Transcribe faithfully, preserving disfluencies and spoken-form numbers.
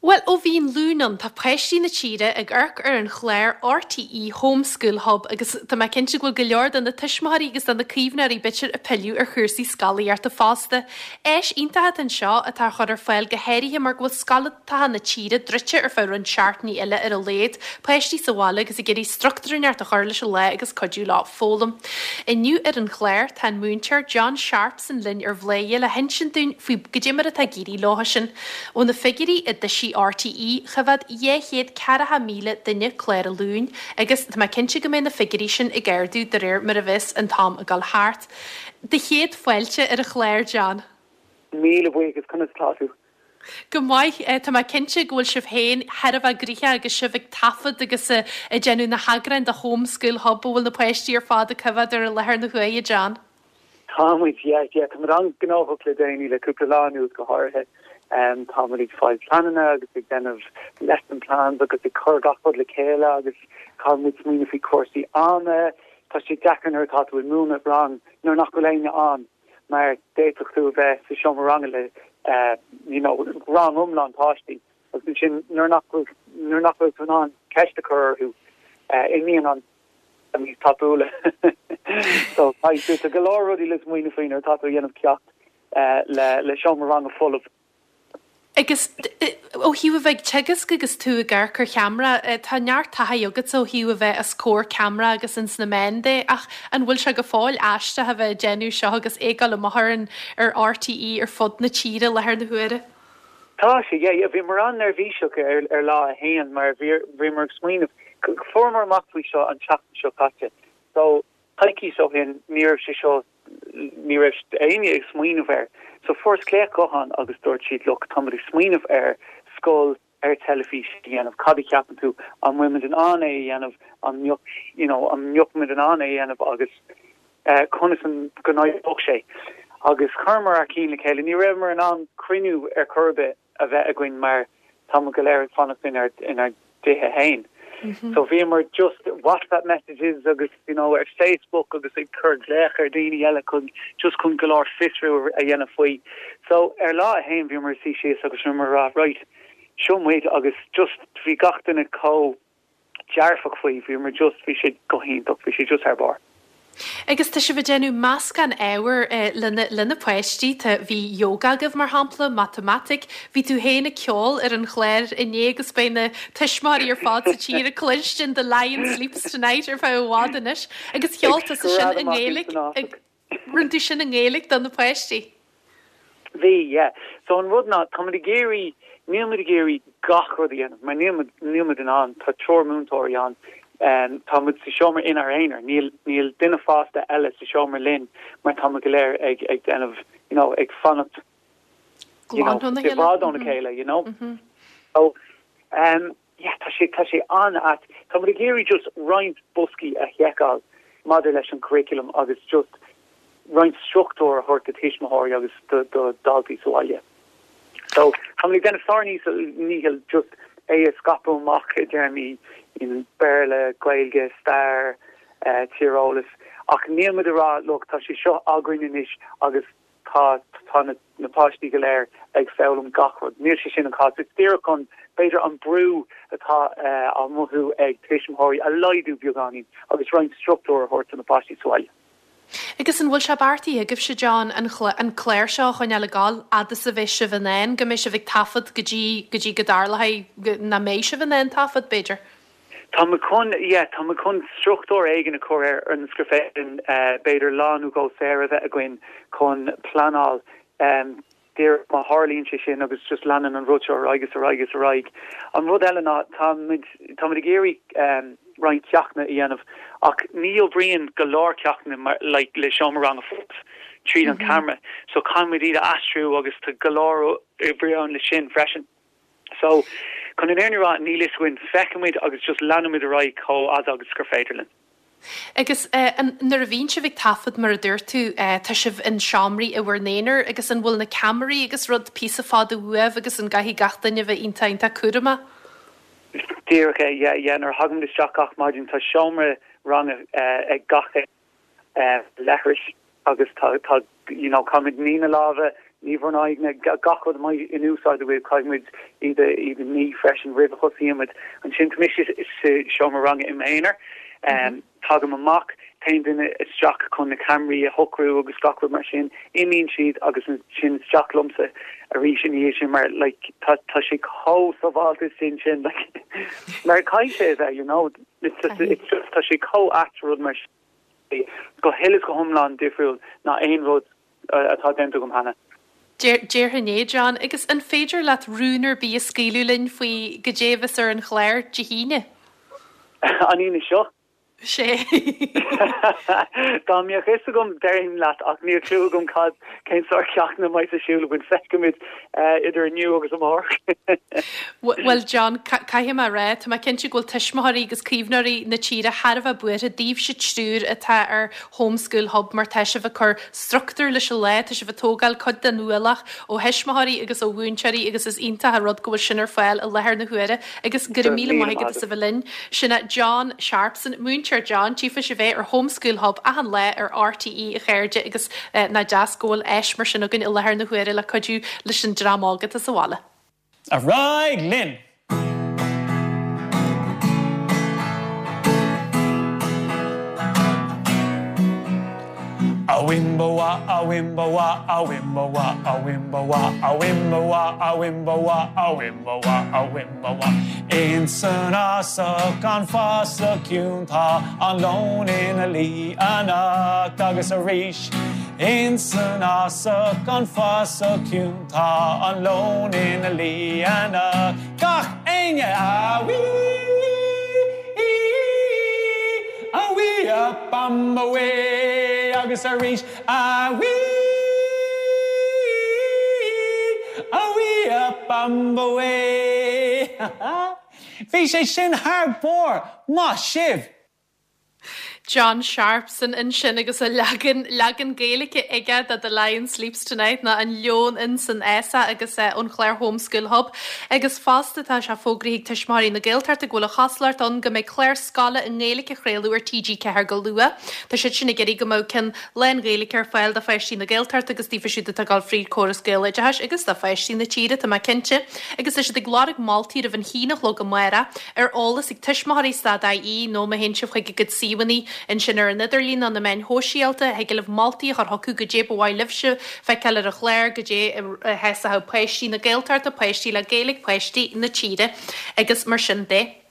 Well ó bhí an Luan ann tá páistí na tíre ag amharc ar an chlár RTÉ Home School Hub agus tá mé cinnte go bhfuil go leor de na tuismitheoirí agus de na caomhnóirí b'fhéidir ag pilleadh ar chúrsaí scolaíochta fosta. Áis iontach anseo atá chur ar fáil go háirithe mar go bhfuil scoltacha na tíre druidte ar feadh roinnt seachtainí eile ar a laghad, páistí sa bhaile agus ag iarraidh struchtúr inteacht a chur leis an lá agus cuidiú leo foghlaim. Inniu ar an chlár tá an múinteoir John Sharpson linn ar Bhladhaire le hinsint dúinn faoi goidé mar atá ag éirí leo sin. Ó na figiúirí a d'eisigh RTÉ choimhéad dhá chéad ceathracha míle duine clár an Luain, agus tá mé cinnte go mbeidh na figiúirí sin ag ardú de réir mar a bheas an t-am ag dul thart. Do chéad fáilte ar an chlár John. Míle buíochas conas tá tú. Go maith tá mé cinnte go bhfuil sibh féin thar a bheith gnoitheach agus sibh ag taifead agus ag déanamh na heagráin de Home School Hub a bhfuil na páistí ar fad ag coimhéad ar an láthair na huaire John. Tá muid Tá an-ghnóthach le déanaí le cúpla lá anuas go háirithe. Um, tá ag fáil pleananna agus ag déanamh lesson plans agus ag cur gach rud le chéile agus tá muid smaoineamh faoi cúrsaí ama tá sé deacair nuair atá tú ag múineadh rang nuair nach bhfuil éinne ann mar d'fhéadfadh tú bheith sa seomra ranga le uh, you know, rang iomlán páistí agus sin nuair nach nuair nach bhfuil tú an ceist a chur orthu uh, imíonn an níos tapúla so tá go leor rudaí le smaoineamh faoi nuair atá tú ag déanamh ceacht uh, le le seomra ranga folamh. Agus ó thaobh a bheith teagasc agus tú ag amharc ar cheamara tá neart taithí agat ó thaobh a bheith os comhair ceamara agus ins na meáin de ach an bhfuil sé go fóill aisteach a bheith déanamh seo agus é ag dul amach ar an ar RTÉ ar fud na tíre láthair na huaire. Tá sé bhí mar an-neirbhíseach ar ar lá a haon mar bhí mar smaoineamh fuaireamar amach faoi seo an tseachtain seo caite. So coicís ó shin ní raibh sé seo ní raibh éinne ag smaoineamh air. So fuaireas glaoch gutháin agus dúirt siad look tá muid ag smaoineamh ar scoil ar teilifís a dhéanamh cad a cheapann tú an bhfuil muid in ann é a dhéanamh an mbeadh you know, an mbeadh muid in ann é a dhéanamh agus uh, conas an go n-oibreodh sé. Agus chuireamar ár gcinn le chéile ní raibh in ann cruinniú ar chor ar bith a bheith againn mar tá go léir ag fanacht in inár dtithe féin. Mm -hmm. So bhíomar just WhatsApp messages agus you know ar Facebook agus ag cur glaoch ar daoine eile chun just chun go leor fiosrú a dhéanamh faoi. So ar lá a haon bhíomar suí síos agus mar rá right seo muid agus just bhí gach duine chomh dearfach faoi bhíomar just bhí sé go hiontach bhí sé just thar barr. Agus tá sibh ag déanamh meascán ábhar eh, lena lena páistí tá bhí yoga agaibh mar shampla matamaitic, bhí tú féin ag ceol ar an chlár inné agus beidh na tuismitheoirí ar fad sa tír ag cluinstin The Lion Sleeps Tonight ar feadh i bhfad anois agus cheol tú sin i nGaeilge rinne tú sin i nGaeilge do na páistí. Bhí yeah. So an rud ná tá ag iarraidh níl muid ag iarraidh gach rud a dhéanamh, mar níl muid in ann tá triúr múinteoirí ann um, tá muid sa seomra inár n-aonar níl níl duine fásta eile sa seomra linn mar tá go léir ag ag déanamh you know, ag fanacht i bhfad óna chéile you know mm -hmm. so um, yeah, tá sé tá sé an-ait tá muid ag iarraidh just roinnt boscaí a sheiceáil maidir leis an curriculum agus just roinnt struchtúr a thabhairt do thuismitheoirí agus do do daltaí sa bhaile. So tá muid déanamh ár ndícheall just é a scaipeadh amach i dtéarmaí in Béarla, Gaeilge, stair, uh, tíreolas ach níl muid ag rá look tá sé seo againn anois agus tá tá na, na páistí go léir ag foghlaim gach rud. Níl sé sin an cás It's díreach chun b'fhéidir an brú atá uh, á mothú ag tuismitheoirí a laghdú beagáinín agus roinnt struchtúr a thabhairt na páistí sa bhaile. Agus an bhfuil sé beartaithe agaibh sé John an an clár seo chun le gáil fhad is a bheidh sibh in ann go mbeidh sibh ag taifead go dtí go dtí go dtarlóidh nach mbeidh sibh in ann taifead b'fhéidir. Tá chun tá chun struchtúr éigin a chur ar an scriféin b'fhéidir lá nó dhó saor a bheith againn chun pleanáil um, má tharlaíonn sé sin agus just leanann an rud seo agus ar agus ar aghaidh. An rud eile ná tá ag iarraidh um, roinnt ceachtanna a dhéanamh ach ní oibríonn go leor ceachtanna mar like, le seomra ranga tríd an mm -hmm. camera, so caithfimid iad a aistriú agus tá go leor oibre ann le sin freisin. So chun an fhírinne a rá níl a fhios againn feicfimid agus just leanfaimid ar aghaidh chomh fada agus gur féidir linn. Agus uh, nuair a bhíonn sibh ag taifead mar a dúirt tú uh, tá sibh in seomraí i bhur n-aonar agus an bhfuil na ceamaraí agus rud píosa fada uaibh agus an gcaithfidh gach duine bheith iontach iontach cúramach? Díreach é yeah, nuair a thagaim isteach gach maidin tá seomra ranga uh, ag gach uh, leithreas agus tá tá you know caithfimid ní na lámha Ní bhur n-aghaidheanna, gach rud a mbeidh in úsáid agaibh, caithfidh muid iad a iad a ní freisin roimh a thosaíonn muid. Ansin tá mise sa seomra ranga i m'aonar. Tagaim amach, téann duine isteach chun na ceamaraí a shocrú agus gach rud mar sin, imíonn siad agus ansin isteach liomsa arís ina dhiaidh sin mar like tá tá sé chomh sábháilte sin sin like mar caithfidh sé a bheith you know it's just it's just tá sé chomh ait rud mar sin go huile is go hiomlán difriúil ná aon rud atá déanta agam cheana. Déarfainn é, John, agus an féidir leat rún ar bith a scaoileadh linn faoi goidé a bheas ar an chlár Dé hAoine? An Aoine seo? Sé. Dá mbeadh fhios agam déarfainn leat ach níl clue agam cad, cén sórt ceachtanna a mbeidh ar siúl againn. Feicfimid idir inniu agus amárach. Bhuel John, caithfidh mé a rá, tá mé cinnte go bhfuil tuismitheoirí agus caomhnóirí na tíre thar a bheith buartha daoibhse triúr atá ar Home School Hub mar tá sibh ag cur struchtúr leis an lá, tá sibh ag tógáil cuid den ualach ó thuismitheoirí agus ó mhúinteoirí agus is iontach an rud go bhfuil sin ar fáil i láthair na huaire agus go raibh míle maith agat as a bheith linn. Sin é John Sharpson, Múinteoir John, tchífidh sibh é ar Home School Hub achan lá ar RTÉ a chairde agus nach deas go bhfuil áis mar sin againn i láthair na huaire le cuidiú leis an dream óg atá sa bhaile. Ar aghaidh linn! A-wimba-wa, a-wimba-wa, a-wimba-wa, a-wimba-wa, a-wimba-wa, a-wimba-wa, a-wimba-wa, a-wimba-wa. Ins an fhásach, an fásach ciúin tá an leon ina luí anocht agus arís. Ins an fhásach, an fásach ciúin tá an leon ina luí anocht. Gach éinne! A-wee! A-wee a bam away agus arís A-wee! A-wee a bam away Bhí sé sin thar barr! Maith sibh! John Sharpson ansin agus a leagan leagan Gaeilge aige de The Lion Sleeps Tonight nó An Leon ins an Fhásach agus ón chlár Home School Hub. Agus fosta tá sé fógraithe ag Tuismitheoirí na Gaeltachta go bhfuil an chosúlacht ann go mbeidh clár scoile i nGaeilge á chraoladh ar T G ceathair go luath. Tá siad sin ag iarraidh go mbeadh ceann lán-Ghaeilge ar fáil do pháistí na Gaeltachta agus daofa siúd atá ag dul fríd chóras Gaeloideachais agus do pháistí na tíre, tá mé cinnte. Agus tá siad ag lorg moltaí roimh an haon a chlog amárach ar eolas ag tuismitheoirí stad I E nó má théann sibh chuig a gcuid suíomhanna ansin ar an idirlíon nó na meáin shóisialta, thig libh moltaí a chur chucu goidé ba mhaith libhse feiceáil ar an chlár, goidé a sheasódh páistí na Gaeltachta, páistí le Gaeilge, páistí na tíre agus mar sin de.